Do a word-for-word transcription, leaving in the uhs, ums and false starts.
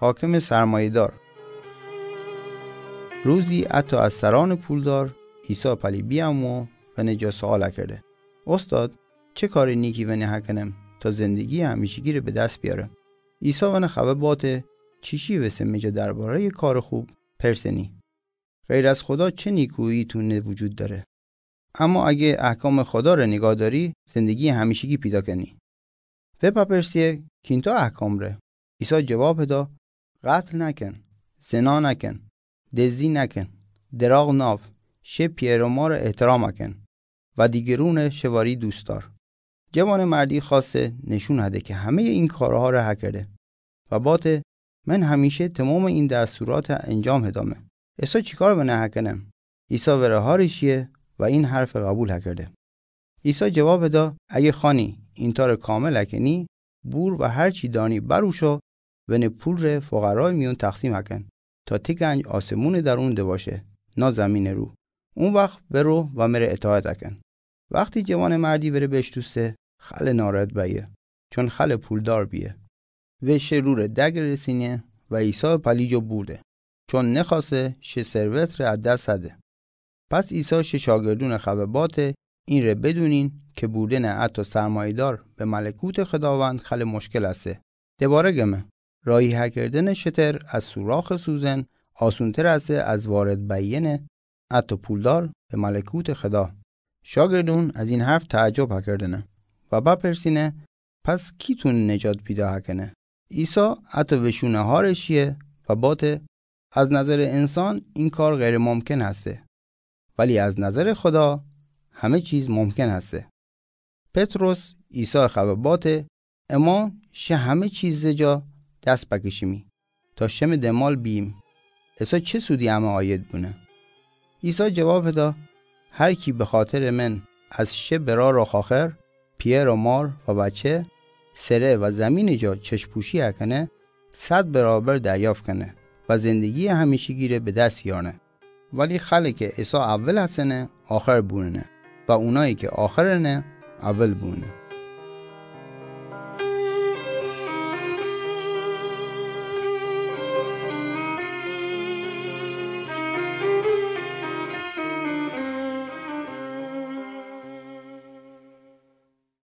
حاکم سرمایه‌دار. روزی حتی از سران پولدار عیسی پلی بیامو و نجا سوال کرده: استاد، چه کار نیکی ونه هکنم تا زندگی همیشگی رو به دست بیارم؟ عیسی ونه خبه باته: چیشی وسه مجا دربارهٔ کار خوب پرسنی؟ غیر از خدا چه نیکویی تونه وجود داره؟ اما اگه احکام خدا ره نگاه داری، زندگی همیشگی پیدا کنی. و پپرسیه: کینتا احکام ره؟ عیسی جواب دا: قتل نکن، زنا نکن، دزدی نکن، دراغ ناو، شه پیر و مار احترام کن و دیگرون شواری دوست دار. جوان مردی خواسته نشون هده که همهٔ این کارها را هکرده و باته: من همیشه تمام این دستورات انجام هدامه. عیسی چیکار ونه هکنم؟ عیسی وره هارشیه و این حرف قبول هکرده. عیسی جواب دا: اگه خوانی اینتا ره کامل هکنی، بور و هر چی دانی بروشو، ونه پول ره فقرای میون تقسیم هکن، تا تی گنج آسمون درون دباشه، نا زمین رو. اون وقت برو و مره اطاعت هکن. وقتی جوان مردی وره بشتوسته، خل ناراحت بیه، چون خل پولدار بیه. و شه رو ره دگ رسینه و عیسی پلی جا بورده، چون نخواسته شه ثروت ره از دست هده. پس عیسی شه شاگردون خبه باته: این ره بدونین که بوردن حتی سرمایه‌دار به ملکوت خداوند خل مشکل هسته. دوباره گمه: راهی هکردن شتر از سوراخ سوزن آسونتر هسته از وارد بیین حتی پولدار به ملکوت خدا. شاگردون از این حرف تعجب هکردنه و بپرسینه: پس کی تونه نجات پیدا هکنه؟ عیسی حتی وشونه هارشیه و باته: از نظر انسان این کار غیر ممکن هسته، ولی از نظر خدا همه چیز ممکن هسته. پطرس عیسی خبه باته: اما شه همه چیز جا دست بکشیمی تا شم دمال بیم. عیسی چه سودی همه آید بونه؟ عیسی جواب دا: هر کی به خاطر من از شه برار و خاخر، پیر و مار و بچه، سره و زمین جا چشم پوشی هکنه، صد برابر دریافت کنه و زندگی همیشگی ره به دست یارنه. ولی خلی که عیسی اول هستنه، آخر بوننه و اونایی که آخرنه، اول بوننه.